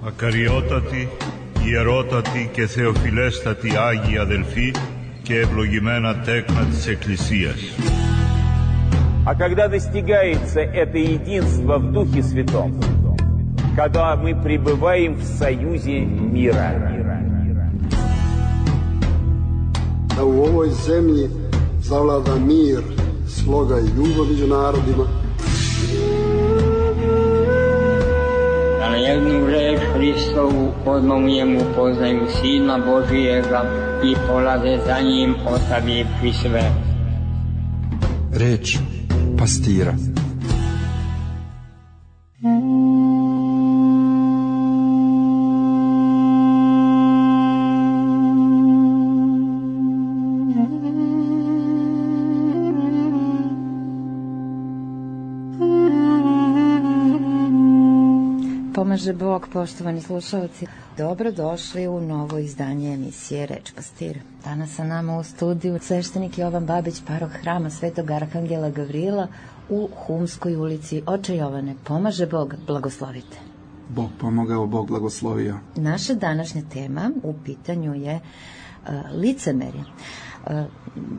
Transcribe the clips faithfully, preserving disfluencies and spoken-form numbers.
Ακαριότατοι, ιερότατοι και θεοφιλέστατοι Άγιοι αδελφοί και ευλογημένα τέκνα της Εκκλησίας. А когда достигается это единство в Духе Святом, когда мы пребываем в союзе мира. Da u ovoj zemlji zavlada mir, sloga i ljubav među narodima. Da na jednu reč Hristovu odmah u njemu poznaju Sina Božijega i polaze za njim ostavivši sve. Reč pastira. Pomaže Bog, poštovani slušalci. Dobrodošli u novo izdanje emisije Reč pastira. Danas sa nama u studiju sveštenik Jovan Babić, paroh hrama Svetog Arhangela Gavrila u Humskoj ulici. Oče Jovane, pomaže Bog, blagoslovite. Bog pomogao, Bog blagoslovio. Naša današnja tema u pitanju je uh, licemerje. Uh,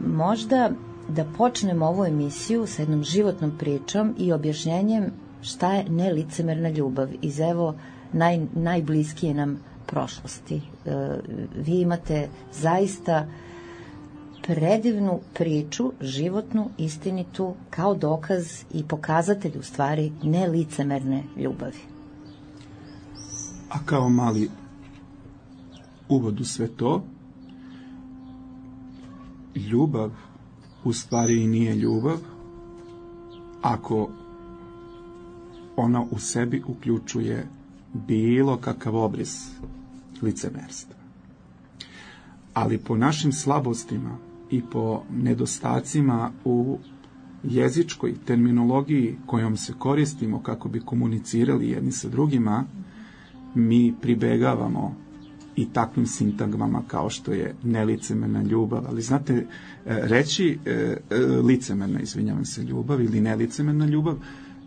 možda da počnemo ovu emisiju sa jednom životnom pričom i objašnjenjem šta je nelicemerna ljubav iz evo naj, najbliskije nam prošlosti. E, vi imate zaista predivnu priču, životnu, istinitu, kao dokaz i pokazatelj u stvari nelicemerne ljubavi. A kao mali uvod u sve to, ljubav u stvari i nije ljubav ako ona u sebi uključuje bilo kakav obris licemerstva. Ali po našim slabostima i po nedostacima u jezičkoj terminologiji kojom se koristimo kako bi komunicirali jedni sa drugima, mi pribegavamo i takvim sintagmama kao što je nelicemerna ljubav. Ali znate, reći e, licemerna, izvinjavam se, ljubav ili nelicemerna ljubav,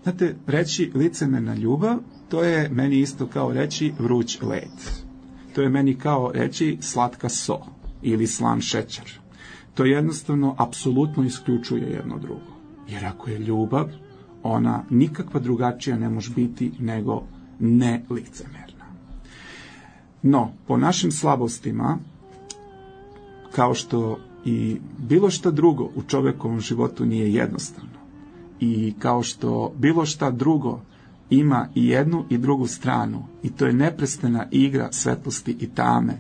znate, reći licemerna ljubav, to je meni isto kao reći vruć led. To je meni kao reći slatka so ili slan šećer. To jednostavno apsolutno isključuje jedno drugo. Jer ako je ljubav, ona nikakva drugačija ne može biti nego nelicemerna. No, po našim slabostima, kao što i bilo šta drugo u čovekovom životu nije jednostavno, i kao što bilo šta drugo ima i jednu i drugu stranu, i to je neprestana igra svetlosti i tame,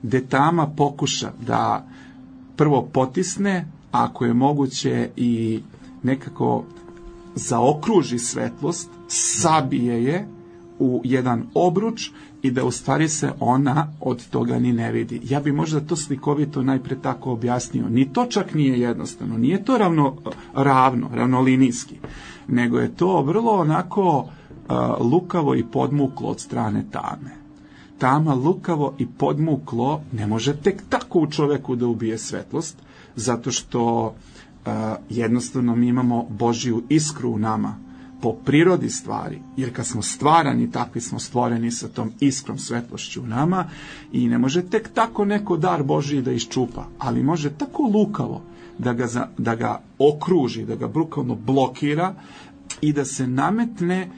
gde tama pokuša da prvo potisne, ako je moguće i nekako zaokruži svetlost, sabije je u jedan obruč i da u stvari se ona od toga ni ne vidi. Ja bi možda to slikovito najpre tako objasnio. Ni to čak nije jednostavno, nije to ravno, ravno, ravnolinijski, nego je to vrlo onako uh, lukavo i podmuklo od strane tame. Tama lukavo i podmuklo ne može tek tako u čoveku da ubije svetlost, zato što uh, jednostavno mi imamo Božju iskru u nama, po prirodi stvari, jer kad smo stvarani, takvi smo stvoreni sa tom iskrom svetlošću u nama, i ne može tek tako neko dar Božiji da iščupa, ali može tako lukavo da ga, za, da ga okruži, da ga brukalno blokira i da se nametne,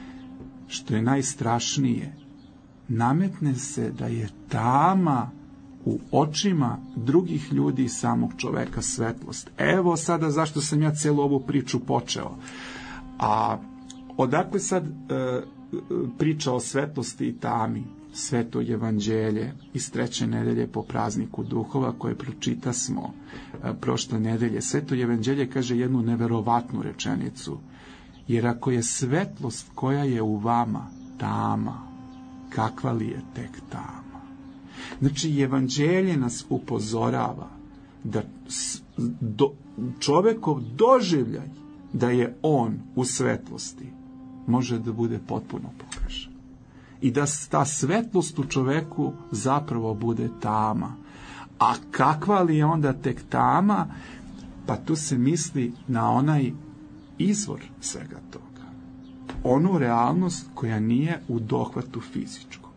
što je najstrašnije, nametne se da je tama u očima drugih ljudi i samog čoveka svetlost. Evo sada zašto sam ja celu ovu priču počeo. A odakle sad e, priča o svetlosti i tami? Sveto evanđelje iz treće nedelje po prazniku duhova koje pročita smo e, prošle nedelje. Sveto evanđelje kaže jednu neverovatnu rečenicu. Jer ako je svetlost koja je u vama tama, kakva li je tek tama? Znači, evanđelje nas upozorava da do, čovekov doživljaj da je on u svetlosti može da bude potpuno pogrešan. I da ta svetlost u čoveku zapravo bude tama. A kakva li je onda tek tama? Pa tu se misli na onaj izvor svega toga. Onu realnost koja nije u dohvatu fizičkog.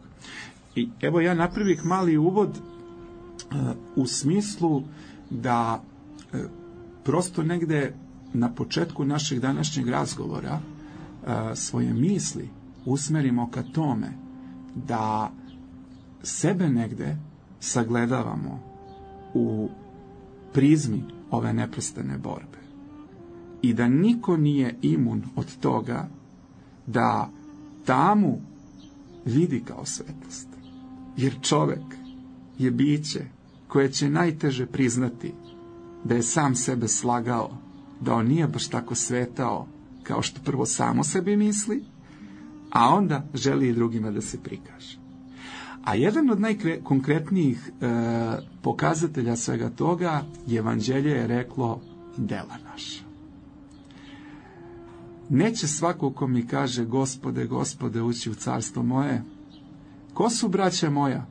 I evo ja napravih mali uvod uh, u smislu da uh, prosto negde na početku našeg današnjeg razgovora uh, svoje misli usmerimo ka tome da sebe negde sagledavamo u prizmi ove neprestane borbe i da niko nije imun od toga da tamu vidi kao svetlost. Jer čovek je biće koje će najteže priznati da je sam sebe slagao, da on nije baš tako svetao kao što prvo samo sebi misli, a onda želi i drugima da se prikaže. A jedan od najkonkretnijih e, pokazatelja svega toga je Evanđelje je reklo dela naša. Neće svako ko mi kaže Gospode, Gospode, ući u carstvo moje. Ko su braća moja?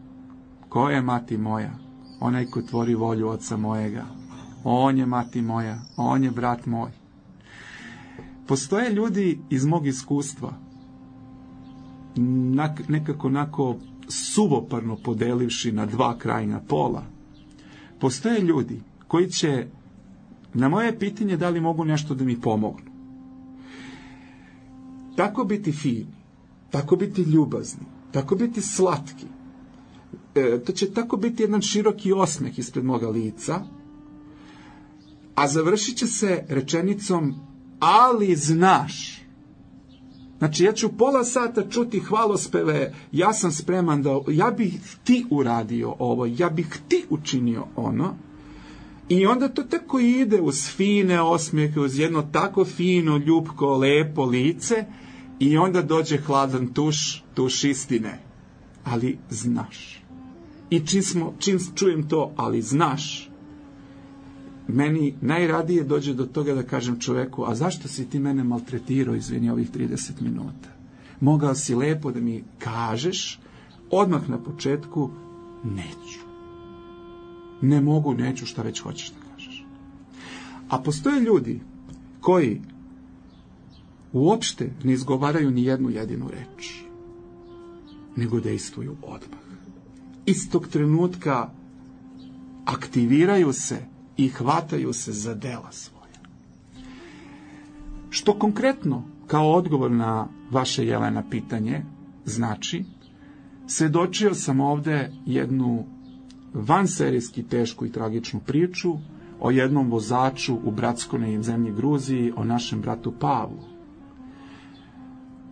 Ko je mati moja? Onaj ko tvori volju oca mojega. On je mati moja, on je brat moj. Postoje ljudi iz mog iskustva, nekako onako suvoparno podelivši na dva krajnja pola. Postoje ljudi koji će na moje pitanje da li mogu nešto da mi pomognu. Tako biti fini, tako biti ljubazni, tako biti slatki. E, to će tako biti jedan široki osmeh ispred moga lica, a završit će se rečenicom ali znaš. Znači ja ću pola sata čuti hvalospeve, ja sam spreman da, ja bih ti uradio ovo, ja bih ti učinio ono. I onda to tako ide uz fine osmijehe, uz jedno tako fino, ljubko, lepo lice i onda dođe hladan tuš, tuš istine. Ali znaš. I čim, smo, čim čujem to, ali znaš, meni najradije dođe do toga da kažem čoveku, a zašto si ti mene maltretirao, izvini, ovih trideset minuta? Mogao si lepo da mi kažeš, odmah na početku, neću. Ne mogu, neću, šta već hoćeš da kažeš. A postoje ljudi koji uopšte ne izgovaraju ni jednu jedinu reč, nego dejstvuju odmah. Istog trenutka aktiviraju se i hvataju se za dela svoja. Što konkretno, kao odgovor na vaše, Jelena, pitanje, znači, svedočio sam ovde jednu vanserijski tešku i tragičnu priču o jednom vozaču u bratskoj zemlji Gruziji, o našem bratu Pavlu.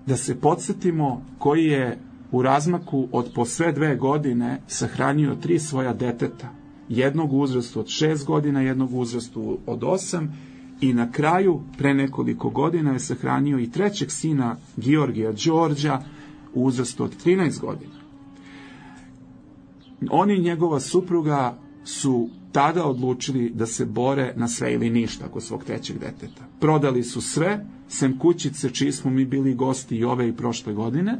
Da se podsjetimo koji je u razmaku od po sve dve godine sahranio tri svoja deteta, jednog u uzrastu od šest godina, jednog u uzrastu od osam i na kraju, pre nekoliko godina, je sahranio i trećeg sina Georgija Đorđa u uzrastu od trinaest godina. Oni i njegova supruga su tada odlučili da se bore na sve ili ništa oko svog trećeg deteta. Prodali su sve, sem kućice čiji smo mi bili gosti i ove i prošle godine,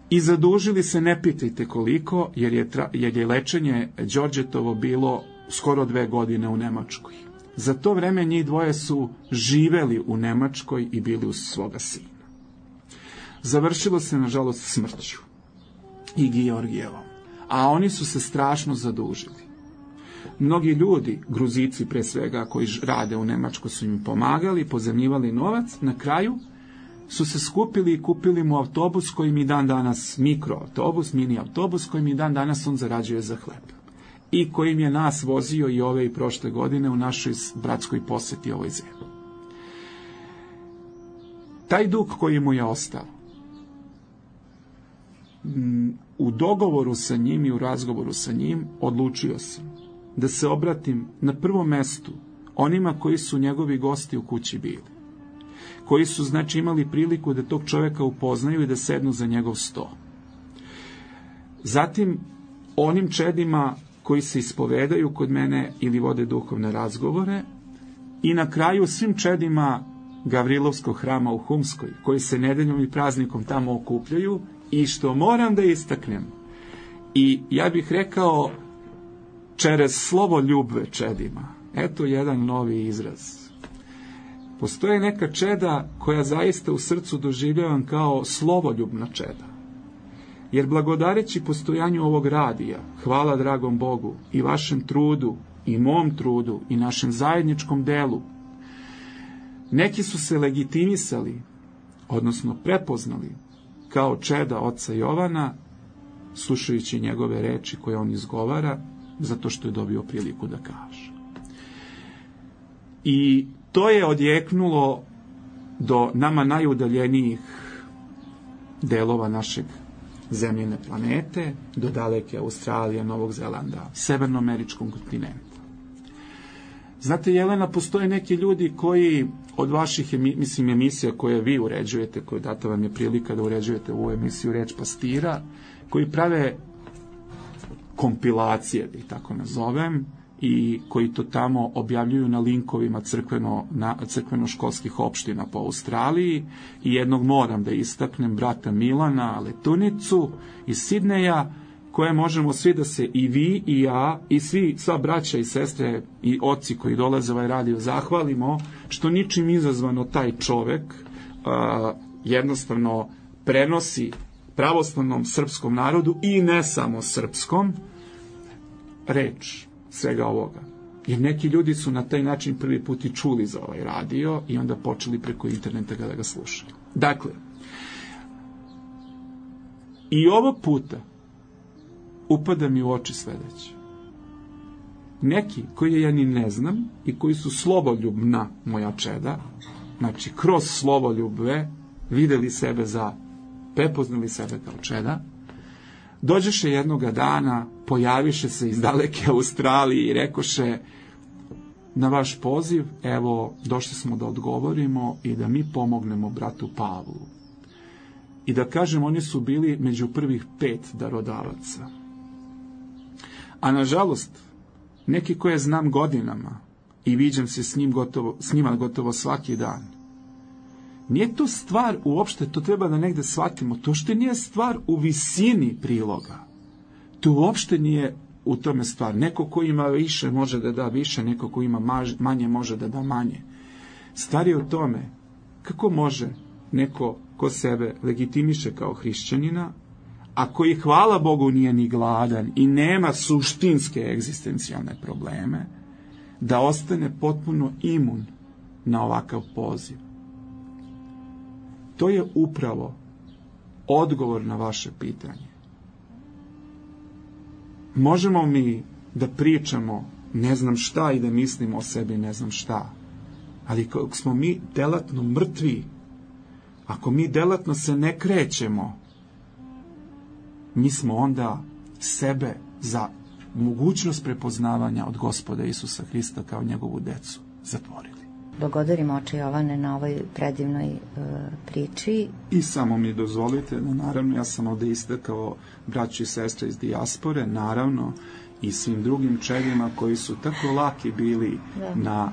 i zadužili se, ne pitajte koliko, jer je, tra, jer je lečenje Đorđetovo bilo skoro dve godine u Nemačkoj. Za to vreme njih dvoje su živeli u Nemačkoj i bili uz svoga sina. Završilo se, nažalost, smrću i Georgijevom, a oni su se strašno zadužili. Mnogi ljudi, Gruzici pre svega, koji rade u Nemačkoj, su im pomagali, pozemljivali novac, na kraju su se skupili i kupili mu autobus koji mi dan danas, mikroautobus, mini autobus, koji mi dan danas on zarađuje za hleb. I kojim je nas vozio i ove i prošle godine u našoj bratskoj poseti ovoj zemlji. Taj dug koji mu je ostao, u dogovoru sa njim i u razgovoru sa njim, odlučio sam da se obratim na prvom mestu onima koji su njegovi gosti u kući bili, koji su, znači, imali priliku da tog čoveka upoznaju i da sednu za njegov sto. Zatim, onim čedima koji se ispovedaju kod mene ili vode duhovne razgovore, i na kraju svim čedima Gavrilovskog hrama u Humskoj, koji se nedeljom i praznikom tamo okupljaju, i što moram da istaknem, i ja bih rekao, čerez slovo ljubve čedima. Eto jedan novi izraz. Postoje neka čeda koja zaista u srcu doživljavam kao slovoljubna čeda. jer blagodareći postojanju ovog radija, hvala dragom Bogu, i vašem trudu, i mom trudu, i našem zajedničkom delu, neki su se legitimisali, odnosno prepoznali, kao čeda oca Jovana, slušajući njegove reči koje on izgovara, zato što je dobio priliku da kaže. I to je odjeknulo do nama najudaljenijih delova našeg zemljene planete, do daleke Australije, Novog Zelanda, severnoameričkog kontinenta. Znate, Jelena, postoje neki ljudi koji od vaših mislim, emisija koje vi uređujete, koje data vam je prilika da uređujete ovu emisiju Reč pastira, koji prave kompilacije, da ih tako nazovem, i koji to tamo objavljuju na linkovima crkveno, na, crkveno-školskih opština po Australiji. I jednog moram da istaknem, brata Milana Letunicu iz Sidneja, koje možemo svi da se, i vi i ja i svi, sva braća i sestre i oci koji dolaze ovaj radio, zahvalimo što ničim izazvano taj čovek a, jednostavno prenosi pravoslavnom srpskom narodu i ne samo srpskom reč svega ovoga. Jer neki ljudi su na taj način prvi put i čuli za ovaj radio i onda počeli preko interneta da ga slušaju. Dakle, i ovog puta upada mi u oči sledeće. Neki koji ja ni ne znam i koji su sloboljubna moja čeda, znači kroz slovoljubve videli sebe za, prepoznali sebe kao čeda, dođeše jednoga dana, pojaviše se iz daleke Australije i rekoše: na vaš poziv, evo, došli smo da odgovorimo i da mi pomognemo bratu Pavlu. I da kažem, oni su bili među prvih pet darodavaca. A nažalost, neki koje znam godinama i viđam se s, njim gotovo, s njima gotovo svaki dan, nije to stvar uopšte, to treba da negde shvatimo, to što nije stvar u visini priloga. To uopšte nije u tome stvar. Neko ko ima više može da da više, neko ko ima manje može da da manje. Stvar je u tome kako može neko ko sebe legitimiše kao hrišćanina, a koji, hvala Bogu, nije ni gladan i nema suštinske egzistencijalne probleme, da ostane potpuno imun na ovakav poziv. To je upravo odgovor na vaše pitanje. Možemo mi da pričamo ne znam šta i da mislimo o sebi ne znam šta, ali kako smo mi delatno mrtvi, ako mi delatno se ne krećemo, mi smo onda sebe za mogućnost prepoznavanja od Gospoda Isusa Hrista kao njegovu decu zatvorili. Blagodarimo oče Jovane na ovoj predivnoj e, priči. I samo mi dozvolite da, naravno, ja sam ovde istakao braću i sestre iz dijaspore, naravno, i svim drugim čedima koji su tako laki bili da. na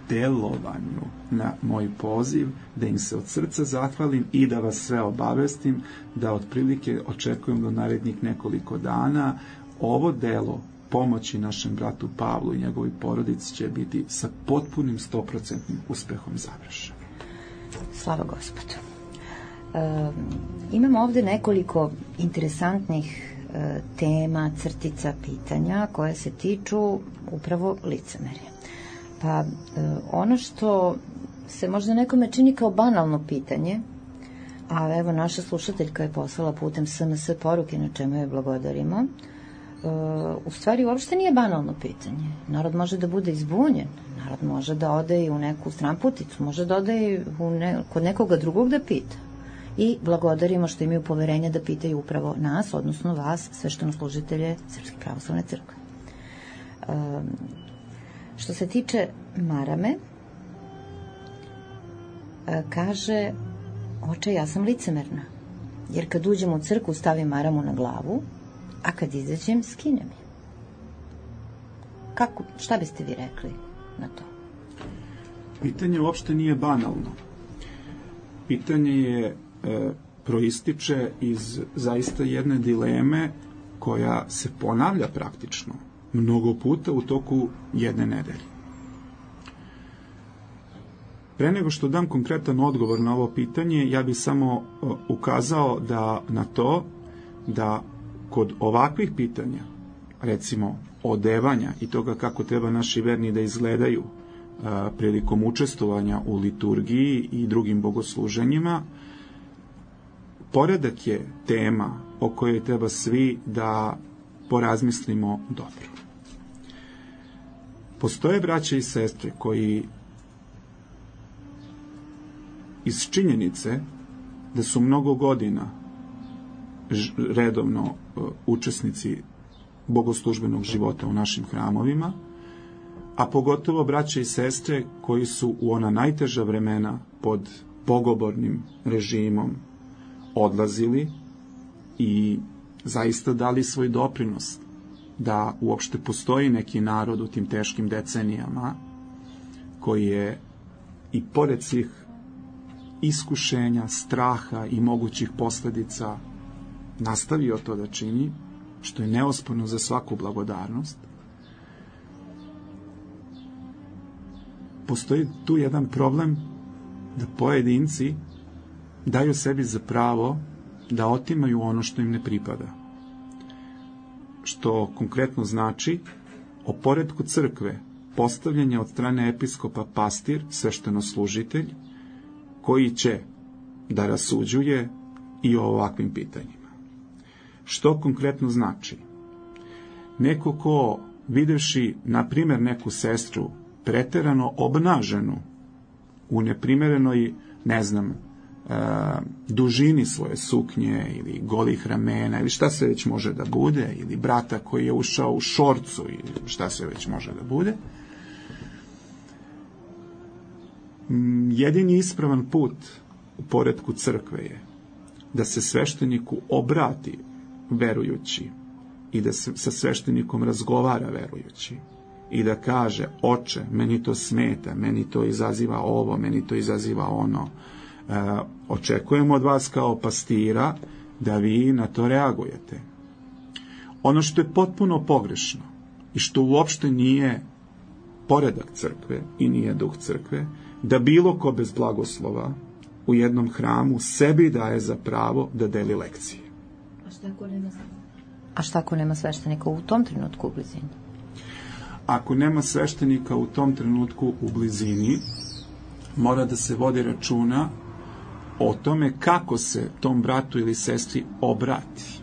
delovanju na moj poziv, da im se od srca zahvalim i da vas sve obavestim da otprilike očekujem do narednih nekoliko dana ovo delo pomoći našem bratu Pavlu i njegovoj porodici će biti sa potpunim stoprocentnim uspehom završeno. Slava Gospodu. E, imamo ovde nekoliko interesantnih e, tema, crtica, pitanja koje se tiču upravo licemerja. Pa e, ono što se možda nekome čini kao banalno pitanje, a evo naša slušateljka je poslala putem es em es poruke na čemu je blagodarimo, u stvari uopšte nije banalno pitanje. Narod može da bude izbunjen, narod može da ode i u neku stranputicu, može da ode i u ne, kod nekoga drugog da pita. I blagodarimo što imaju poverenja da pitaju upravo nas, odnosno vas, sveštenoslужitelje Srpske pravoslavne crkve. Um, što se tiče marame, kaže: oče, ja sam licemerna, jer kad uđem u crkvu stavim maramu na glavu, a kad izađem, skinem je. Kako, šta biste vi rekli na to? Pitanje uopšte nije banalno. Pitanje je, e, proističe iz zaista jedne dileme koja se ponavlja praktično mnogo puta u toku jedne nedelje. Pre nego što dam konkretan odgovor na ovo pitanje, ja bih samo ukazao da na to da kod ovakvih pitanja, recimo odevanja i toga kako treba naši verni da izgledaju a, prilikom učestvovanja u liturgiji i drugim bogosluženjima, poredak je tema o kojoj treba svi da porazmislimo dobro. Postoje braće i sestre koji iz činjenice da su mnogo godina redovno uh, učesnici bogoslužbenog života u našim hramovima, a pogotovo braće i sestre koji su u ona najteža vremena pod bogobornim režimom odlazili i zaista dali svoj doprinos da uopšte postoji neki narod u tim teškim decenijama koji je i pored svih iskušenja, straha i mogućih posledica nastavio to da čini, što je neosporno za svaku blagodarnost. Postoji tu jedan problem da pojedinci daju sebi za pravo da otimaju ono što im ne pripada. Što konkretno znači o poretku crkve postavljanje od strane episkopa pastir, sveštenoslužitelj, koji će da rasuđuje i o ovakvim pitanjima. Što konkretno znači? Neko ko, videvši, na primjer, neku sestru preterano obnaženu u neprimerenoj, ne znam, e, dužini svoje suknje ili golih ramena ili šta se već može da bude, ili brata koji je ušao u šorcu ili šta se već može da bude, jedini ispravan put u poretku crkve je da se svešteniku obrati verujući i da se sa sveštenikom razgovara verujući i da kaže: oče, meni to smeta, meni to izaziva ovo, meni to izaziva ono. E, očekujemo od vas kao pastira da vi na to reagujete. Ono što je potpuno pogrešno i što uopšte nije poredak crkve i nije duh crkve, da bilo ko bez blagoslova u jednom hramu sebi daje za pravo da deli lekcije. A šta ako nema, A šta ako nema sveštenika u tom trenutku u blizini? Ako nema sveštenika u tom trenutku u blizini, mora da se vodi računa o tome kako se tom bratu ili sestri obrati.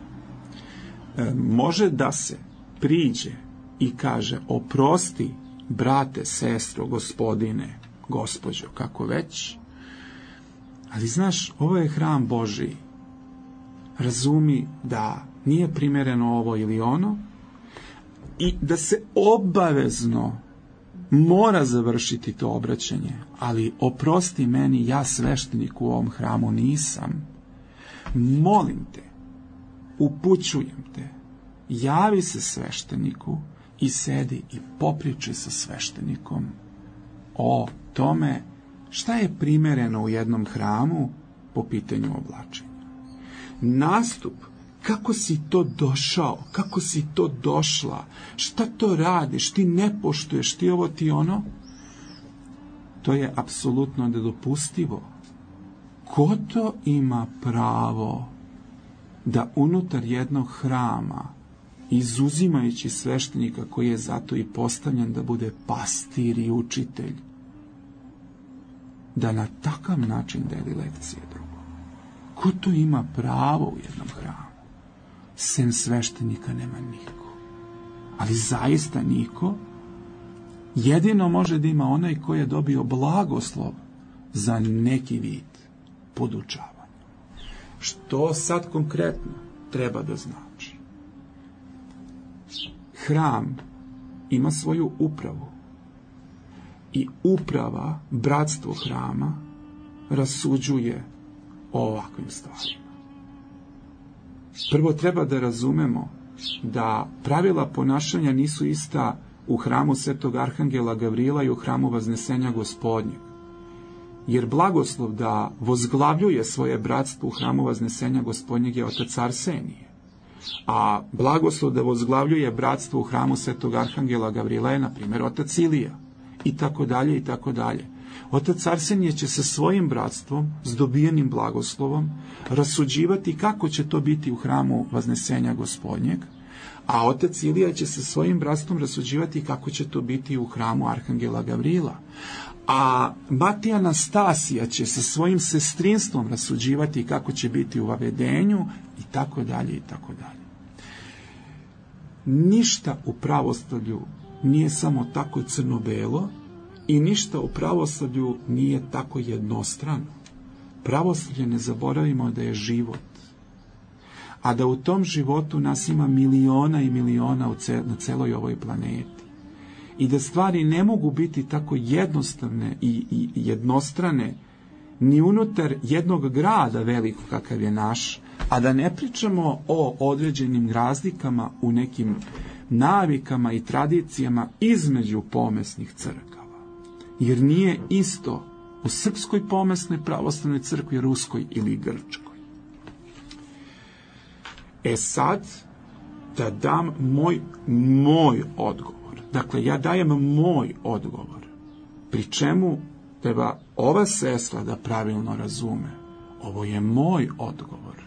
E, može da se priđe i kaže: oprosti, brate, sestro, gospodine, gospođo, kako već, ali znaš, ovo je hram Božiji. Razumi da nije primereno ovo ili ono i da se obavezno mora završiti to obraćanje, ali oprosti meni, ja sveštenik u ovom hramu nisam. Molim te, upućujem te, javi se svešteniku i sedi i popričaj sa sveštenikom o tome šta je primereno u jednom hramu po pitanju oblačenja. Nastup, kako si to došao, kako si to došla, šta to radiš, ti ne poštuješ, ti ovo, ti ono, to je apsolutno nedopustivo. Ko to ima pravo da unutar jednog hrama, izuzimajući sveštenika koji je zato i postavljen da bude pastir i učitelj, da na takav način deli lekcije drugom? Ko to ima pravo u jednom hramu? Sem sveštenika nema niko. Ali zaista niko. Jedino može da ima onaj koji je dobio blagoslov za neki vid podučavanja. Što sad konkretno treba da znači? Hram ima svoju upravu i uprava, bratstvo hrama, rasuđuje o ovakvim stvarima. Prvo treba da razumemo da pravila ponašanja nisu ista u hramu Svetog Arhangela Gavrila i u hramu Vaznesenja Gospodnjeg. Jer blagoslov da vozglavljuje svoje bratstvo u hramu Vaznesenja Gospodnjeg je otac Arsenije. A blagoslov da vozglavljuje bratstvo u hramu Svetog Arhangela Gavrila je, na primjer, otac Ilija. I tako dalje, i tako dalje. Otac Arsenije će sa svojim bratstvom, s dobijenim blagoslovom, rasuđivati kako će to biti u hramu Vaznesenja Gospodnjeg, a otac Ilija će sa svojim bratstvom rasuđivati kako će to biti u hramu Arhangela Gavrila. A Matija Anastasija će sa svojim sestrinstvom rasuđivati kako će biti u Vavedenju i tako dalje i tako dalje. Ništa u pravoslavlju nije samo tako crno-belo i ništa u pravoslavlju nije tako jednostrano. Pravoslavlje, ne zaboravimo da je život, a da u tom životu nas ima miliona i miliona na celoj ovoj planeti. I da stvari ne mogu biti tako jednostavne i, i jednostrane ni unutar jednog grada velikog kakav je naš, a da ne pričamo o određenim razlikama u nekim navikama i tradicijama između pomesnih crkava. Jer nije isto u srpskoj pomesnoj pravoslavnoj crkvi, ruskoj ili grčkoj. E sad, da dam moj, moj odgovor. Dakle, ja dajem moj odgovor, pri čemu treba ova sestra da pravilno razume. Ovo je moj odgovor.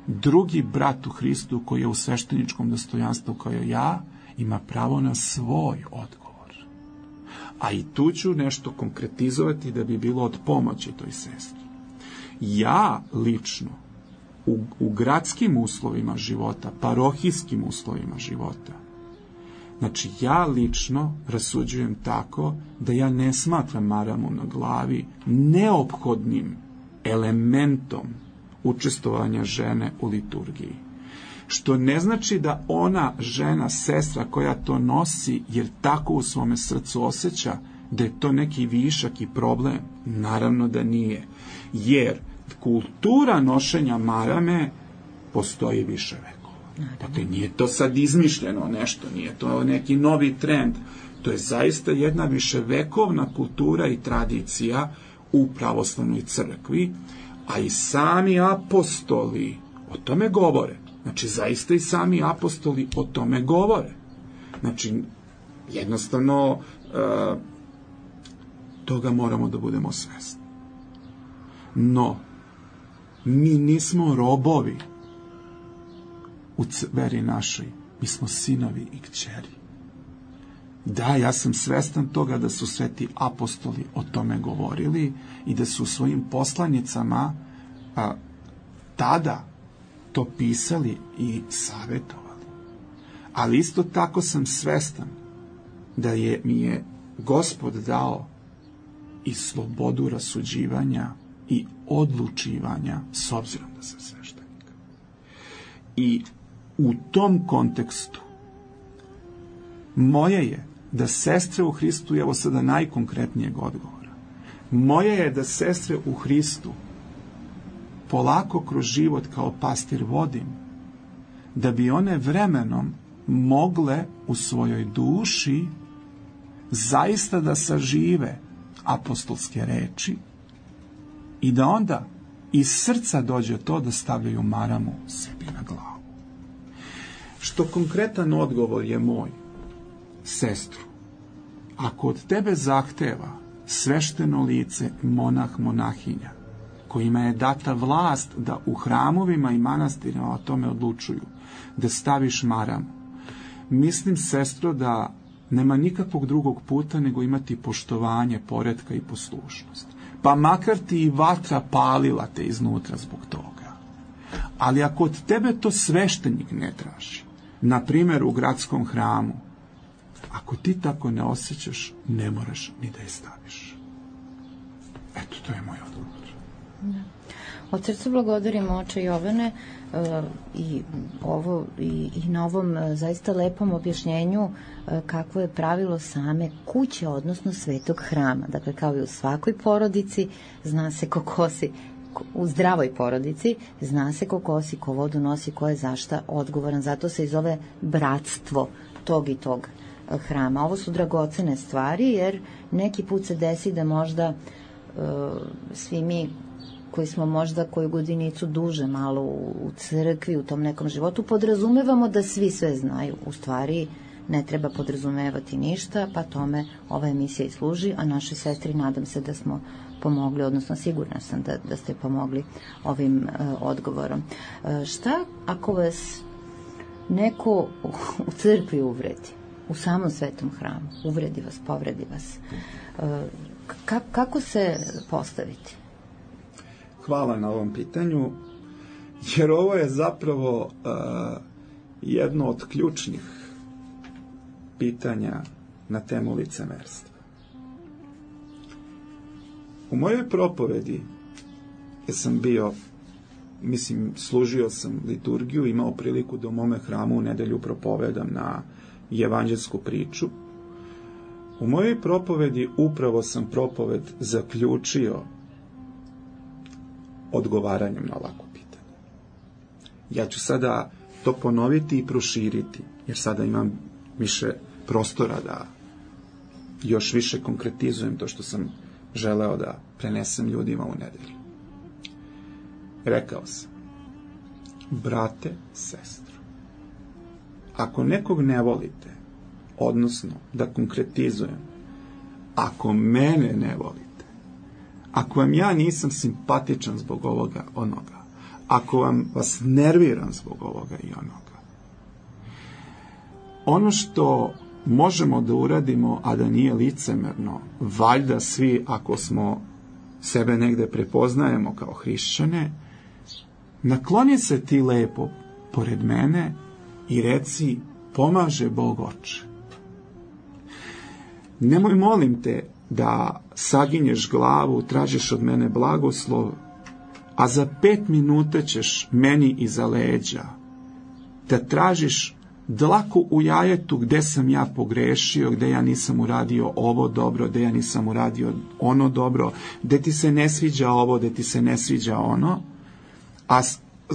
Drugi brat u Hristu koji je u svešteničkom dostojanstvu kao ja, ima pravo na svoj odgovor. A i tu ću nešto konkretizovati da bi bilo od pomoći toj sestri. Ja lično u, u gradskim uslovima života, parohijskim uslovima života, znači ja lično rasuđujem tako da ja ne smatram maramu na glavi neophodnim elementom učestvovanja žene u liturgiji. Što ne znači da ona žena, sestra koja to nosi, jer tako u svome srcu osjeća da je to neki višak i problem. Naravno da nije. Jer kultura nošenja marame postoji više vekova. Dakle, nije to sad izmišljeno nešto, nije to neki novi trend. To je zaista jedna viševekovna kultura i tradicija u pravoslavnoj crkvi, a i sami apostoli o tome govore. Znači, zaista i sami apostoli o tome govore. Znači, jednostavno, uh, toga moramo da budemo svesni. No, mi nismo robovi u veri našoj. Mi smo sinovi i kćeri. Da, ja sam svestan toga da su sveti apostoli o tome govorili i da su u svojim poslanicama a, tada to pisali i savjetovali. Ali isto tako sam svestan da je, mi je Gospod dao i slobodu rasuđivanja i odlučivanja s obzirom da sam sveštenik. I u tom kontekstu moje je da sestre u Hristu, evo sada najkonkretnijeg odgovora, moje je da sestre u Hristu polako kroz život kao pastir vodim, da bi one vremenom mogle u svojoj duši zaista da sažive apostolske reči i da onda iz srca dođe to da stavljaju maramu sebi na glavu. Što konkretan odgovor je moj, sestru, ako od tebe zahteva svešteno lice monah, monahinja, kojima je data vlast da u hramovima i manastirima o tome odlučuju, da staviš maramu, mislim, sestro, da nema nikakvog drugog puta nego imati poštovanje, poretka i poslušnost. Pa makar ti i vatra palila te iznutra zbog toga. Ali ako od tebe to sveštenik ne traži, na primjer u gradskom hramu, ako ti tako ne osjećaš, ne moraš ni da je staviš. Eto, to je moj odgovor. Da. Od srca blagodarim oče Jovane uh, i, ovo, i, i na ovom uh, zaista lepom objašnjenju uh, kakvo je pravilo same kuće, odnosno svetog hrama. Dakle, kao i u svakoj porodici, zna se ko kosi, u zdravoj porodici, zna se ko kosi, ko vodu nosi, ko je zašta odgovoran. Zato se i zove bratstvo tog i tog hrama. Ovo su dragocene stvari, jer neki put se desi da možda uh, svi mi koji smo možda koju godinicu duže malo u crkvi, u tom nekom životu, podrazumevamo da svi sve znaju. U stvari ne treba podrazumevati ništa, pa tome ova emisija i služi, a našoj sestri nadam se da smo pomogli, odnosno sigurna sam da, da ste pomogli ovim uh, odgovorom. Uh, šta ako vas neko u crkvi uvredi, u samom svetom hramu, uvredi vas, povredi vas? Uh, ka, kako se postaviti? Hvala na ovom pitanju, jer ovo je zapravo uh, jedno od ključnih pitanja na temu licemerstva. U mojoj propovedi, jer sam bio, mislim, služio sam liturgiju, imao priliku da u mome hramu u nedelju propovedam na evanđelsku priču. U mojoj propovedi upravo sam propoved zaključio odgovaranjem na ovako pitanje. Ja ću sada to ponoviti i proširiti, jer sada imam više prostora da još više konkretizujem to što sam želeo da prenesem ljudima u nedelju. Rekao sam, brate, sestro, ako nekog ne volite, odnosno da konkretizujem, ako mene ne volite, ako vam ja nisam simpatičan zbog ovoga, onoga, ako vam vas nerviram zbog ovoga i onoga, ono što možemo da uradimo, a da nije licemerno, valjda svi, ako smo sebe negde prepoznajemo kao hrišćane, nakloni se ti lepo pored mene i reci, pomaže Bog oče. Nemoj, molim te, da saginješ glavu, tražiš od mene blagoslov, a za pet minuta ćeš meni iza leđa da tražiš dlaku u jajetu gde sam ja pogrešio, gde ja nisam uradio ovo dobro, gde ja nisam uradio ono dobro, gde ti se ne sviđa ovo, gde ti se ne sviđa ono, a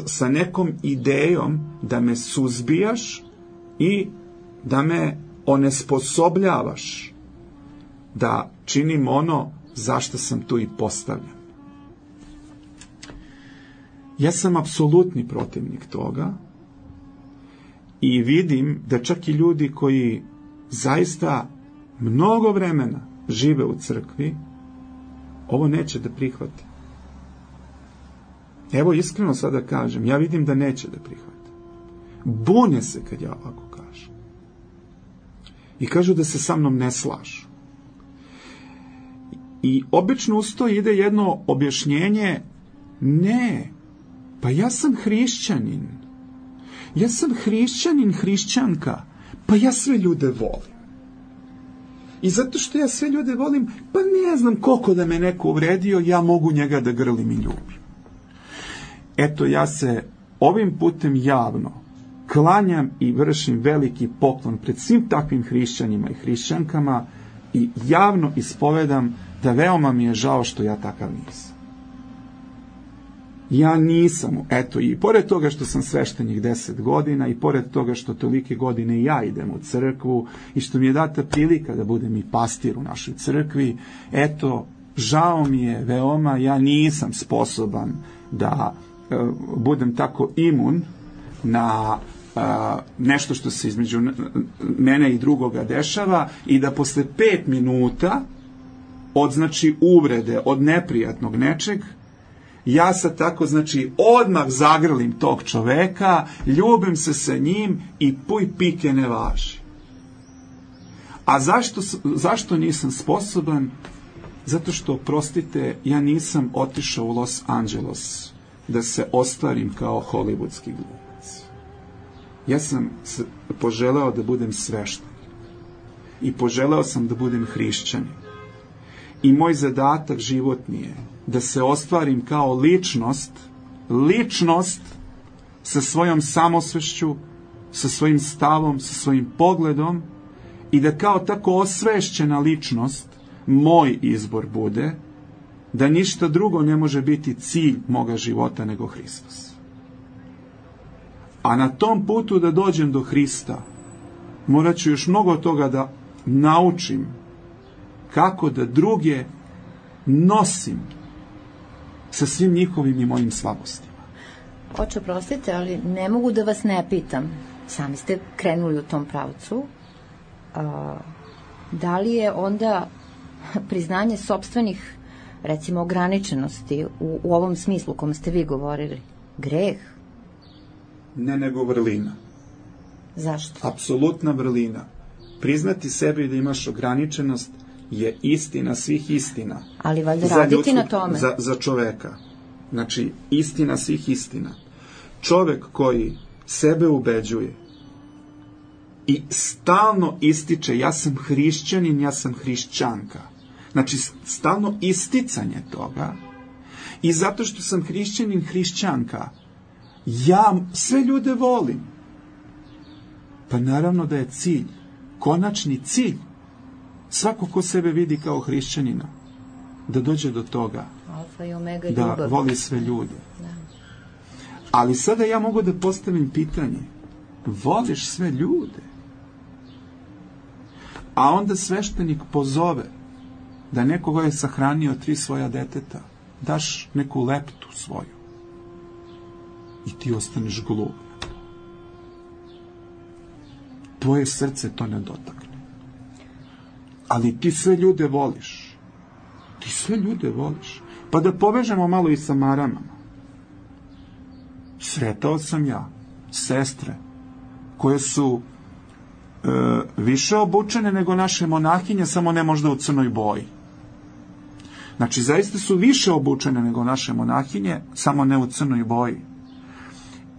sa nekom idejom da me suzbijaš i da me onesposobljavaš da činim ono zašto sam tu i postavljen. Ja sam apsolutni protivnik toga i vidim da čak i ljudi koji zaista mnogo vremena žive u crkvi, ovo neće da prihvate. Evo, iskreno sada kažem, ja vidim da neće da prihvate. Bune se kad ja ovako kažem. I kažu da se sa mnom ne slažu. I obično uz to ide jedno objašnjenje, ne, pa ja sam hrišćanin. Ja sam hrišćanin, hrišćanka, pa ja sve ljude volim. I zato što ja sve ljude volim, pa ne znam koliko da me neko uvredio, ja mogu njega da grlim i ljubim. Eto, ja se ovim putem javno klanjam i vršim veliki poklon pred svim takvim hrišćanima i hrišćankama i javno ispovedam da veoma mi je žao što ja takav nisam. Ja nisam, eto, i pored toga što sam sveštenik deset godina i pored toga što tolike godine ja idem u crkvu i što mi je data prilika da budem i pastir u našoj crkvi, eto, žao mi je veoma, ja nisam sposoban da e, budem tako imun na e, nešto što se između mene i drugoga dešava i da posle pet minuta od, znači, uvrede, od neprijatnog nečeg, ja sad tako, znači, odmah zagrlim tog čoveka, ljubim se sa njim i puj pike ne važi. A zašto, zašto nisam sposoban? Zato što, prostite, ja nisam otišao u Los Angeles da se ostvarim kao hollywoodski glumac. Ja sam poželeo da budem sveštenik i poželeo sam da budem hrišćanin. I moj zadatak životni je da se ostvarim kao ličnost, ličnost sa svojom samosvešću, sa svojim stavom, sa svojim pogledom i da kao tako osvešćena ličnost moj izbor bude da ništa drugo ne može biti cilj moga života nego Hristos. A na tom putu da dođem do Hrista morat ću još mnogo toga da naučim kako da druge nosim sa svim njihovim i mojim slabostima. Oče, prostite, ali ne mogu da vas ne pitam. Sami ste krenuli u tom pravcu. a, da li je onda priznanje sopstvenih, recimo, ograničenosti u, u ovom smislu u kom ste vi govorili greh? Ne, nego vrlina. Zašto? Apsolutna vrlina. Priznati sebi da imaš ograničenost je istina svih istina. Ali valjda raditi ljudskog, na tome. Za, za čoveka. Znači, istina svih istina. Čovek koji sebe ubeđuje i stalno ističe ja sam hrišćanin, ja sam hrišćanka. Znači, stalno isticanje toga i zato što sam hrišćanin, hrišćanka, ja sve ljude volim. Pa naravno da je cilj, konačni cilj, svako ko sebe vidi kao hrišćanina, da dođe do toga, Alfa i omega da ljubav. Voli sve ljude. Da. Ali sada ja mogu da postavim pitanje, voliš sve ljude? A onda sveštenik pozove da nekoga je sahranio tri svoja deteta, daš neku leptu svoju i ti ostaneš glup. Tvoje srce to ne dotakne. Ali ti sve ljude voliš. Ti sve ljude voliš. Pa da povežemo malo i sa maramama. Sretao sam ja sestre koje su e, više obučene nego naše monahinje, samo ne možda u crnoj boji. Znači, zaista su više obučene nego naše monahinje, samo ne u crnoj boji.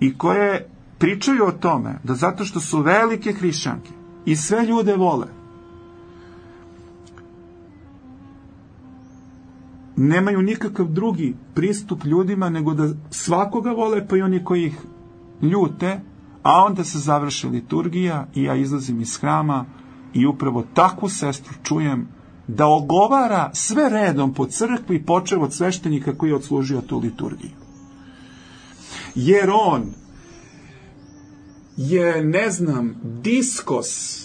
I koje pričaju o tome da zato što su velike hrišćanke i sve ljude vole, nemaju nikakav drugi pristup ljudima nego da svakoga vole, pa i oni koji ih ljute, a onda se završi liturgija i ja izlazim iz hrama i upravo takvu sestru čujem da ogovara sve redom po crkvi, počev od sveštenika koji je odslužio tu liturgiju. Jer on je, ne znam, diskos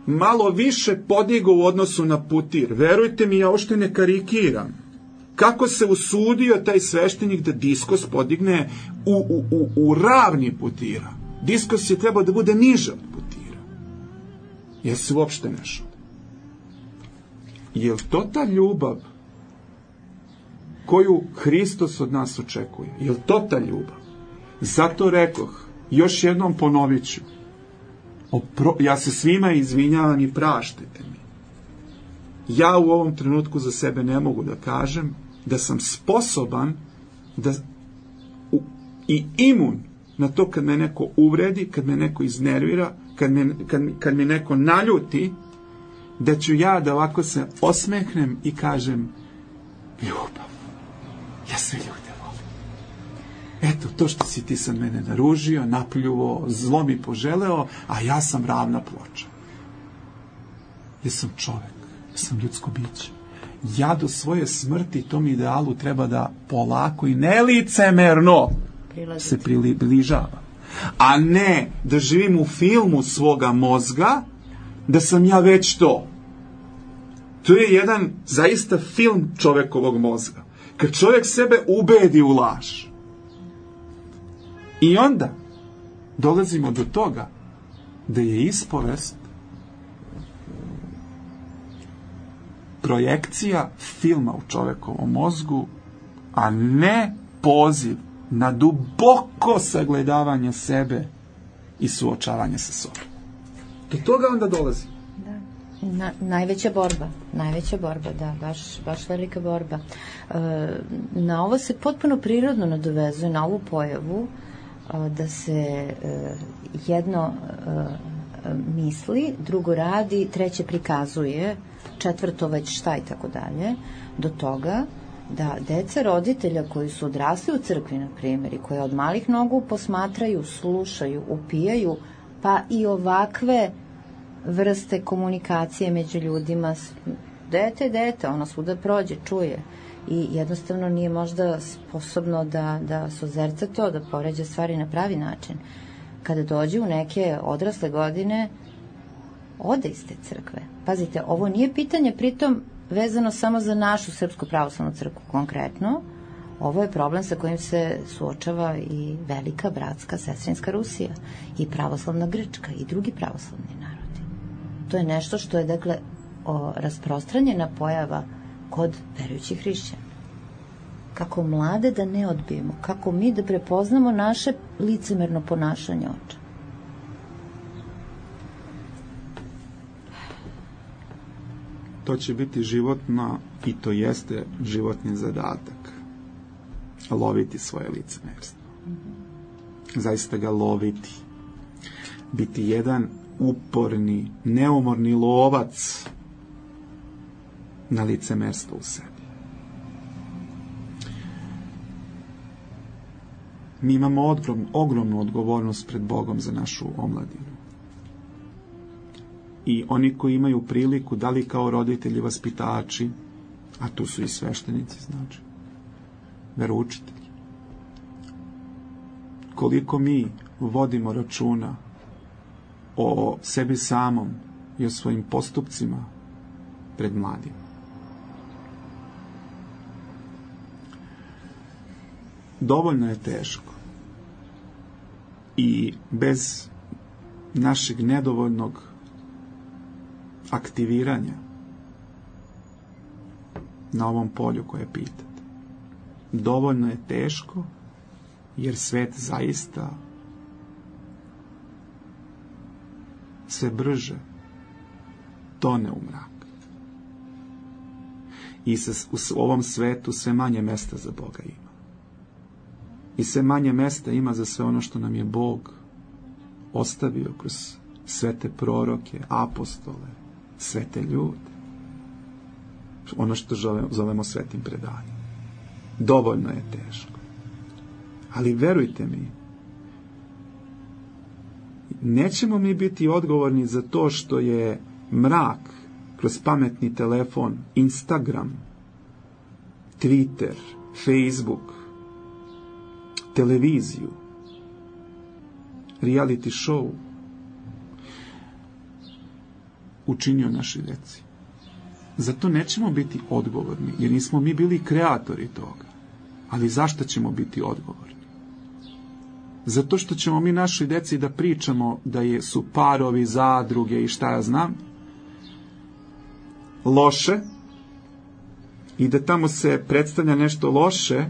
malo više podigao u odnosu na putir. Verujte mi, ja uopšte ne karikiram. Kako se usudio taj sveštenik da diskos podigne u, u, u, u ravni putira. Diskos je trebao da bude niže od putira. Jer se uopšte ne šao. Je li to ta ljubav koju Hristos od nas očekuje? Je li to ta ljubav? Zato rekoh, još jednom ponovit ću, opro, ja se svima izvinjavam i praštajte mi. Ja u ovom trenutku za sebe ne mogu da kažem da sam sposoban da u, i imun na to kad me neko uvredi, kad me neko iznervira, kad me, kad, kad me neko naljuti, da ću ja da ovako se osmehnem i kažem ljubav, ja sve ljude volim. Eto, to što si ti sad mene naružio, napljuvo, zlo mi poželeo, a ja sam ravna ploča. Ja sam čovek, ja sam ljudsko biće. Ja do svoje smrti tom idealu treba da polako i nelicemerno Prilazite. se približava. A ne da živim u filmu svoga mozga, da sam ja već to. To je jedan zaista film čovekovog mozga. Kad čovjek sebe ubedi u laž. I onda dolazimo do toga da je ispovest projekcija filma u čovekovom mozgu, a ne poziv na duboko sagledavanje sebe i suočavanje sa sobom. Do toga onda dolazi. Da. Na, najveća borba, najveća borba, da, baš, baš velika borba. E, na ovo se potpuno prirodno nadovezuje, na ovu pojavu, e, da se e, jedno e, misli, drugo radi, treće prikazuje, četvrto već šta i tako dalje, do toga da deca roditelja koji su odrasli u crkvi, na primjer, i koje od malih nogu posmatraju, slušaju, upijaju, pa i ovakve vrste komunikacije među ljudima, dete, dete, ono svuda prođe, čuje i jednostavno nije možda sposobno da, da sozerca to, da poređa stvari na pravi način. Kada dođe u neke odrasle godine, ode iz te crkve. Pazite, ovo nije pitanje pritom vezano samo za našu Srpsku pravoslavnu crkvu konkretno, ovo je problem sa kojim se suočava i velika bratska sestrinska Rusija i pravoslavna Grčka i drugi pravoslavni narodi. to je nešto što je, dakle, o, rasprostranjena pojava kod verujućih hrišćana. Kako mlade da ne odbijemo, kako mi da prepoznamo naše licemerno ponašanje oča. To će biti životno i to jeste životni zadatak. Loviti svoje licemerstvo. Zaista ga loviti. Biti jedan uporni, neumorni lovac na licemerstvo u sebi. Mi imamo ogrom, ogromnu odgovornost pred Bogom za našu omladinu. I oni koji imaju priliku, da li kao roditelji, vaspitači, a tu su i sveštenici, znači, veroučitelji, koliko mi vodimo računa o sebi samom i o svojim postupcima pred mladima. Dovoljno je teško i bez našeg nedovoljnog aktiviranja na ovom polju koje pitate. Dovoljno je teško jer svet zaista sve brže tone u mrak. I se, u ovom svetu sve manje mesta za Boga ima. I sve manje mesta ima za sve ono što nam je Bog ostavio kroz svete proroke, apostole, svete ljude. Ono što zovemo svetim predanjem. Dovoljno je teško. Ali verujte mi, nećemo mi biti odgovorni za to što je mrak kroz pametni telefon, Instagram, Twitter, Facebook, televiziju, reality show učinio našoj deci. Zato nećemo biti odgovorni, jer nismo mi bili kreatori toga. Ali zašto ćemo biti odgovorni? Zato što ćemo mi našoj deci da pričamo da je, su parovi, zadruge i šta ja znam, loše, i da tamo se predstavlja nešto loše,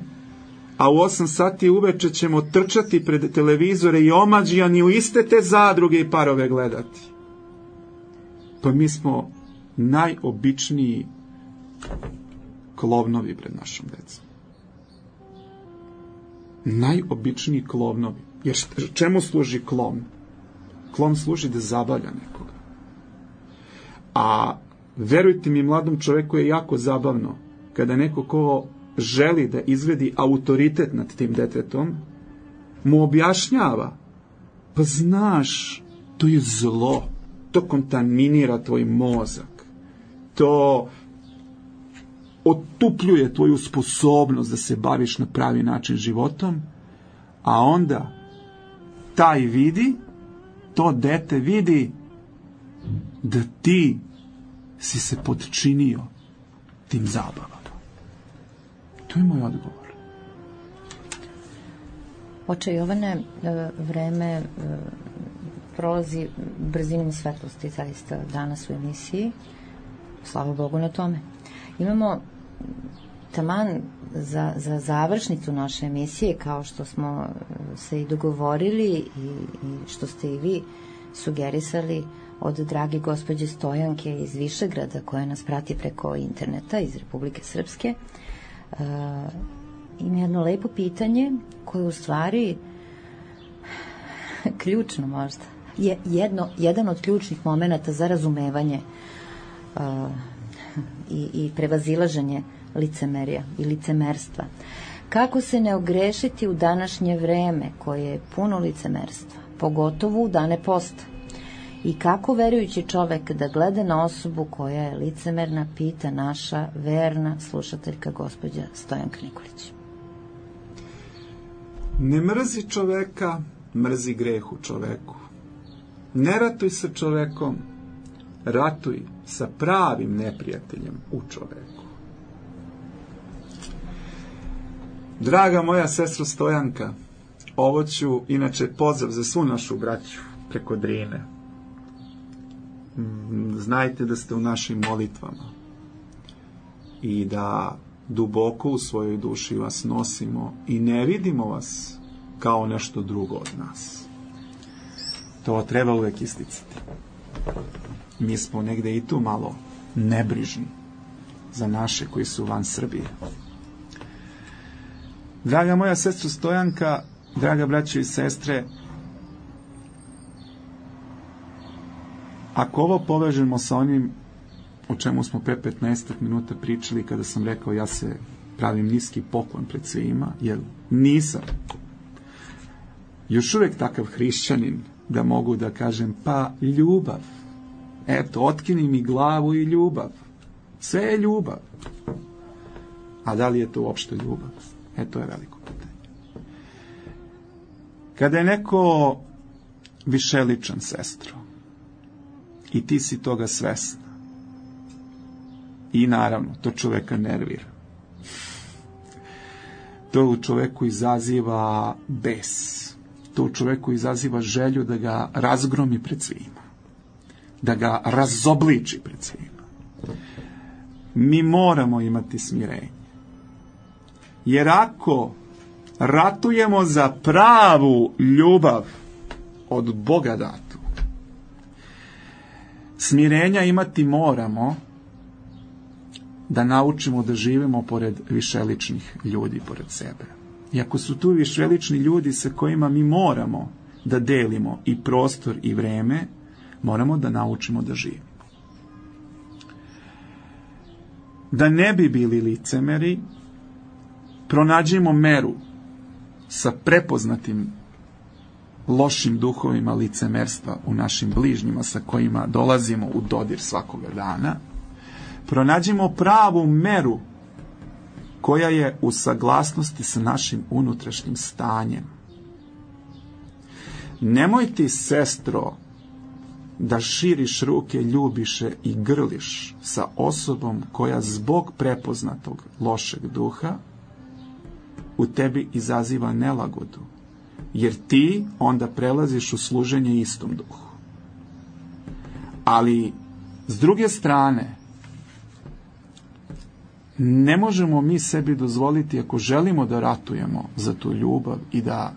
a u osam sati uveče ćemo trčati pred televizore i omađijani u iste te zadruge i parove gledati. Pa mi smo najobičniji klovnovi pred našom decom. Najobičniji klovnovi. Jer čemu služi klovn? Klovn služi da zabavlja nekoga. A verujte mi, mladom čoveku je jako zabavno kada neko ko želi da izvedi autoritet nad tim detetom, mu objašnjava, pa znaš, to je zlo, to kontaminira tvoj mozak, to otupljuje tvoju sposobnost da se baviš na pravi način životom, a onda taj vidi, to dete vidi da ti si se potčinio tim zabavama. To je moj odgovor. Oče Jovane, vreme prolazi brzinom svetlosti zaista danas u emisiji. Slava Bogu na tome. Imamo taman za, za završnicu naše emisije, kao što smo se i dogovorili i, i što ste i vi sugerisali, od drage gospođe Stojanke iz Višegrada, koja nas prati preko interneta iz Republike Srpske. Uh, ima jedno lepo pitanje koje u stvari ključno možda je jedno, jedan od ključnih momenata za razumevanje uh, i, i prevazilaženje licemerja i licemerstva. Kako se ne ogrešiti u današnje vreme koje je puno licemerstva, pogotovo u dane posta? I kako verujući čovek da gleda na osobu koja je licemerna, pita naša verna slušateljka gospođa Stojanka Nikolić. Ne mrzi čoveka, mrzi greh u čoveku. Ne ratuj sa čovekom, ratuj sa pravim neprijateljem u čoveku. Draga moja sestro Stojanka, ovo ću inače pozdrav za svu našu braću preko Drine. znajte da ste u našim molitvama i da duboko u svojoj duši vas nosimo i ne vidimo vas kao nešto drugo od nas. To treba uvek isticati. Mi smo negde i tu malo nebrižni za naše koji su van Srbije. Draga moja sestra Stojanka, draga braćo i sestre, ako ovo povežemo sa onim o čemu smo pre petnaest minuta pričali kada sam rekao ja se pravim niski poklon pred svima, jer nisam još uvek takav hrišćanin da mogu da kažem pa ljubav, eto, otkini mi glavu i ljubav, sve je ljubav. A da li je to uopšte ljubav? E, to je veliko pitanje. Kada je neko višeličan, sestro, i ti si toga svesna, i naravno, to čoveka nervira. To u čoveku izaziva bes. To u čoveku izaziva želju da ga razgromi pred svima. Da ga razobliči pred svima. Mi moramo imati smirenje. Jer ako ratujemo za pravu ljubav od Boga datu, smirenja imati moramo da naučimo da živimo pored višeličnih ljudi pored sebe. I ako su tu višelični ljudi sa kojima mi moramo da delimo i prostor i vreme, moramo da naučimo da živimo. Da ne bi bili licemeri, pronađimo meru sa prepoznatim lošim duhovima licemerstva u našim bližnjima sa kojima dolazimo u dodir svakoga dana. Pronađimo pravu meru koja je u saglasnosti sa našim unutrašnjim stanjem. Nemoj ti, sestro, da širiš ruke ljubiše i grliš sa osobom koja zbog prepoznatog lošeg duha u tebi izaziva nelagodu, jer ti onda prelaziš u služenje istom duhu. Ali, s druge strane, ne možemo mi sebi dozvoliti, ako želimo da ratujemo za tu ljubav i da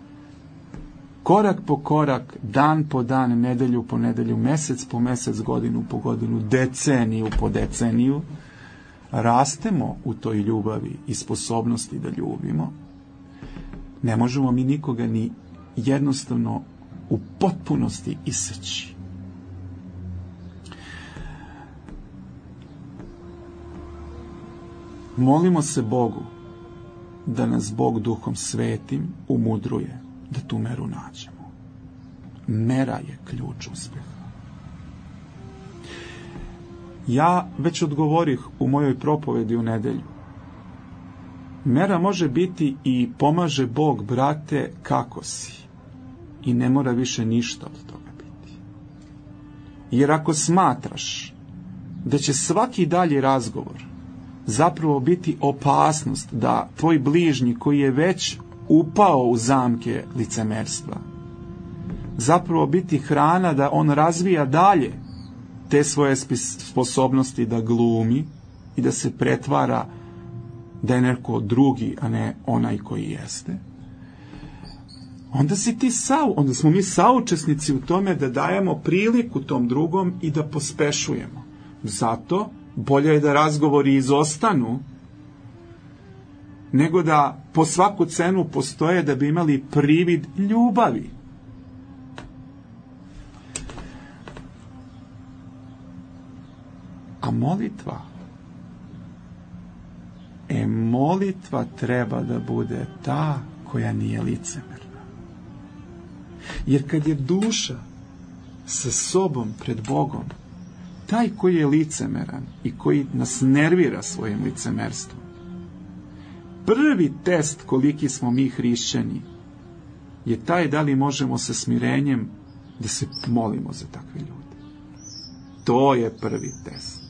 korak po korak, dan po dan, nedelju po nedelju, mesec po mesec, godinu po godinu, deceniju po deceniju, rastemo u toj ljubavi i sposobnosti da ljubimo, ne možemo mi nikoga ni jednostavno u potpunosti iseći. Molimo se Bogu da nas Bog duhom svetim umudruje da tu meru nađemo. Mera je ključ uspeha. Ja već odgovorih u mojoj propovedi u nedelju. Mera može biti i pomaže Bog, brate, kako si. I ne mora više ništa od toga biti. Jer ako smatraš da će svaki dalji razgovor zapravo biti opasnost da tvoj bližnji koji je već upao u zamke licemerstva, zapravo biti hrana da on razvija dalje te svoje sposobnosti da glumi i da se pretvara da je neko drugi, a ne onaj koji jeste, onda si ti sau, onda smo mi saučesnici u tome da dajemo priliku tom drugom i da pospešujemo. Zato bolje je da razgovori izostanu nego da po svaku cenu postoje da bi imali privid ljubavi. A molitva, e molitva treba da bude ta koja nije licemerna. Jer kad je duša sa sobom pred Bogom, taj koji je licemeran i koji nas nervira svojim licemerstvom, prvi test koliki smo mi hrišćani je taj da li možemo sa smirenjem da se molimo za takve ljude. To je prvi test.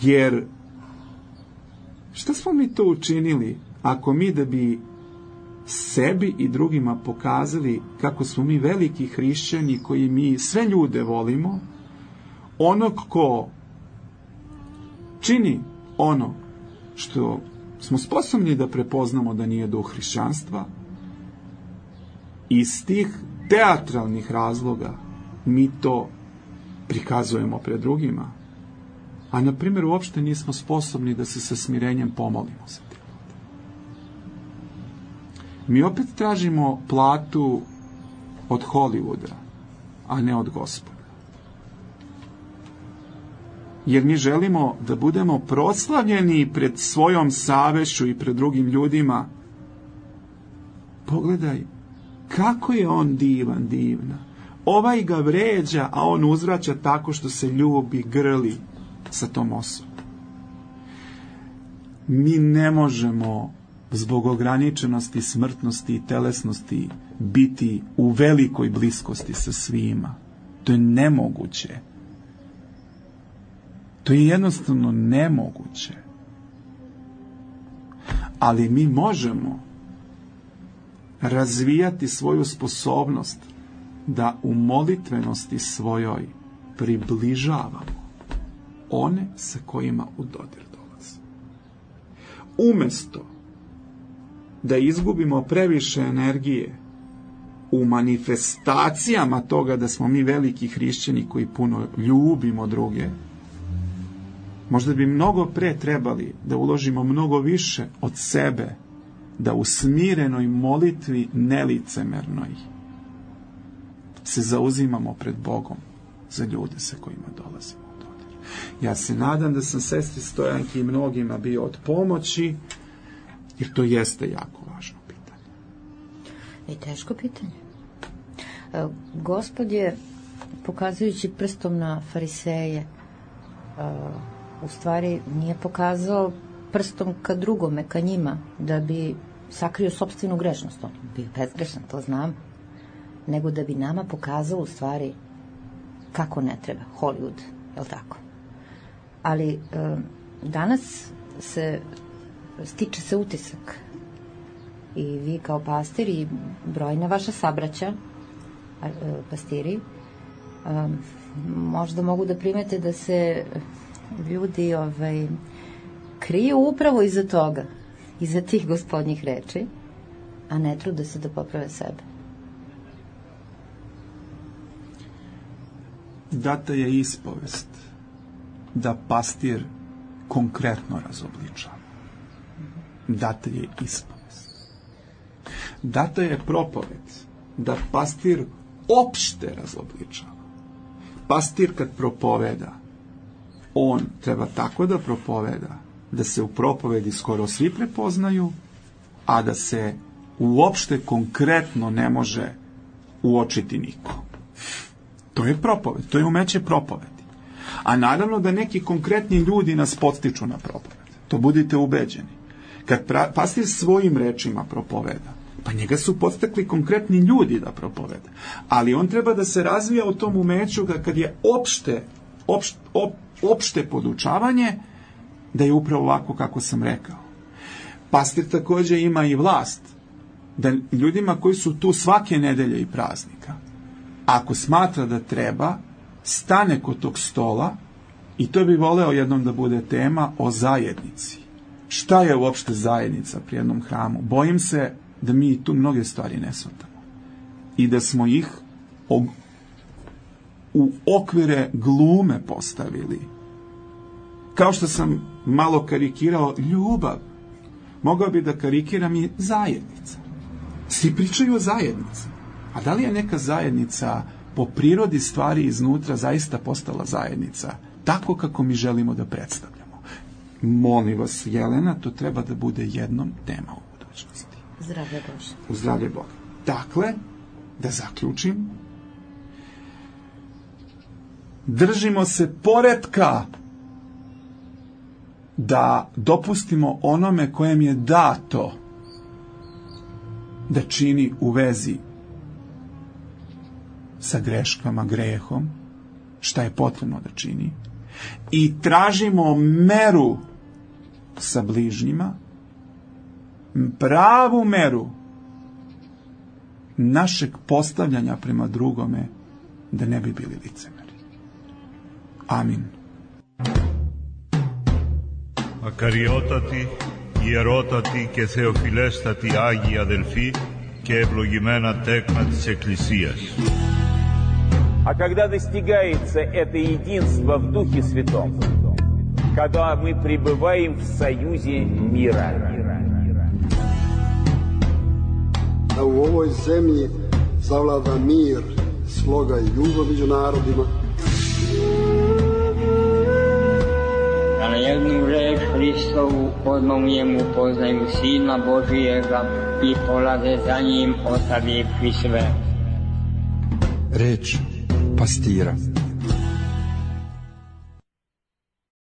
Jer šta smo mi to učinili ako mi da bi sebi i drugima pokazali kako smo mi veliki hrišćani koji mi sve ljude volimo, onog ko čini ono što smo sposobni da prepoznamo da nije duh hrišćanstva, iz tih teatralnih razloga mi to prikazujemo pred drugima, a na primjer uopšte nismo sposobni da se sa smirenjem pomolimo za te ljude. Mi opet tražimo platu od Hollywooda, a ne od Gospoda. Jer mi želimo da budemo proslavljeni pred svojom savešću i pred drugim ljudima. Pogledaj, kako je on divan, divna. Ovaj ga vređa, a on uzvraća tako što se ljubi, grli sa tom osobom. Mi ne možemo zbog ograničenosti, smrtnosti i telesnosti biti u velikoj bliskosti sa svima. To je nemoguće. To je jednostavno nemoguće. Ali mi možemo razvijati svoju sposobnost da u molitvenosti svojoj približavamo one sa kojima u dodir dolaze. Umesto da izgubimo previše energije u manifestacijama toga da smo mi veliki hrišćani koji puno ljubimo druge, možda bi mnogo pre trebali da uložimo mnogo više od sebe, da u smirenoj molitvi nelicemernoj se zauzimamo pred Bogom za ljude sa kojima dolazimo u dodir. Ja se nadam da sam sestri Stojanki i mnogima bio od pomoći, jer to jeste jako važno pitanje. I teško pitanje. Gospod je, pokazujući prstom na fariseje, u stvari nije pokazao prstom ka drugome, ka njima, da bi sakrio sopstvenu grešnost. On bio bezgrešan, to znam. Nego da bi nama pokazao u stvari kako ne treba. Hollywood, je li tako? Ali e, danas se stiče se utisak i vi kao pastir i brojna vaša sabraća, e, pastiri, e, možda mogu da primete da se ljudi ovaj, kriju upravo iza toga, iza tih gospodnjih reči, a ne trude se da poprave sebe. Data je ispovest da pastir konkretno razobličava. Data je ispovest. Data je propoved da pastir opšte razobličava. Pastir kad propoveda, on treba tako da propoveda da se u propovedi skoro svi prepoznaju, a da se uopšte konkretno ne može uočiti niko. To je propoved, to je umeće propovedi. A naravno da neki konkretni ljudi nas podstiču na propoved. To budite ubeđeni. Kad pra, pastir svojim rečima propoveda, pa njega su podstakli konkretni ljudi da propoveda. Ali on treba da se razvija u tom umeću da kad je opšte, opšte, op, opšte podučavanje, da je upravo ovako kako sam rekao. Pastir također ima i vlast da ljudima koji su tu svake nedelje i praznika, ako smatra da treba, stane kod tog stola, i to bi voleo jednom da bude tema o zajednici. Šta je uopšte zajednica pri jednom hramu? Bojim se da mi tu mnoge stvari ne shvatamo. I da smo ih u okvire glume postavili. Kao što sam malo karikirao ljubav, mogao bi da karikiram i zajednica. Svi pričaju o zajednici. A da li je neka zajednica po prirodi stvari iznutra zaista postala zajednica? Tako kako mi želimo da predstavljamo. Molim vas, Jelena, to treba da bude jednom tema u budućnosti. Zdravlje Bože. U zdravlje Boga. Dakle, da zaključim, držimo se poretka da dopustimo onome kojem je dato da čini u vezi sa greškama, grehom, šta je potrebno da čini, i tražimo meru sa bližnjima, pravu meru našeg postavljanja prema drugome, da ne bi bili licemeri. Amin. Ακαριότατοι, ιερότατοι και θεοφιλέστατοι Άγιοι αδελφοί και ευλογημένα τέκνα της Εκκλησίας. А когда достигается это единство в Духе Святом, когда мы пребываем в союзе мира. Da u ovoj zemlji zavlada mir, sloga i ljubav među narodima. Da na jednu reč Hristovu odmah u njemu poznaju Sina Božijega i polaze za njim ostavivši sve. Reč pastira.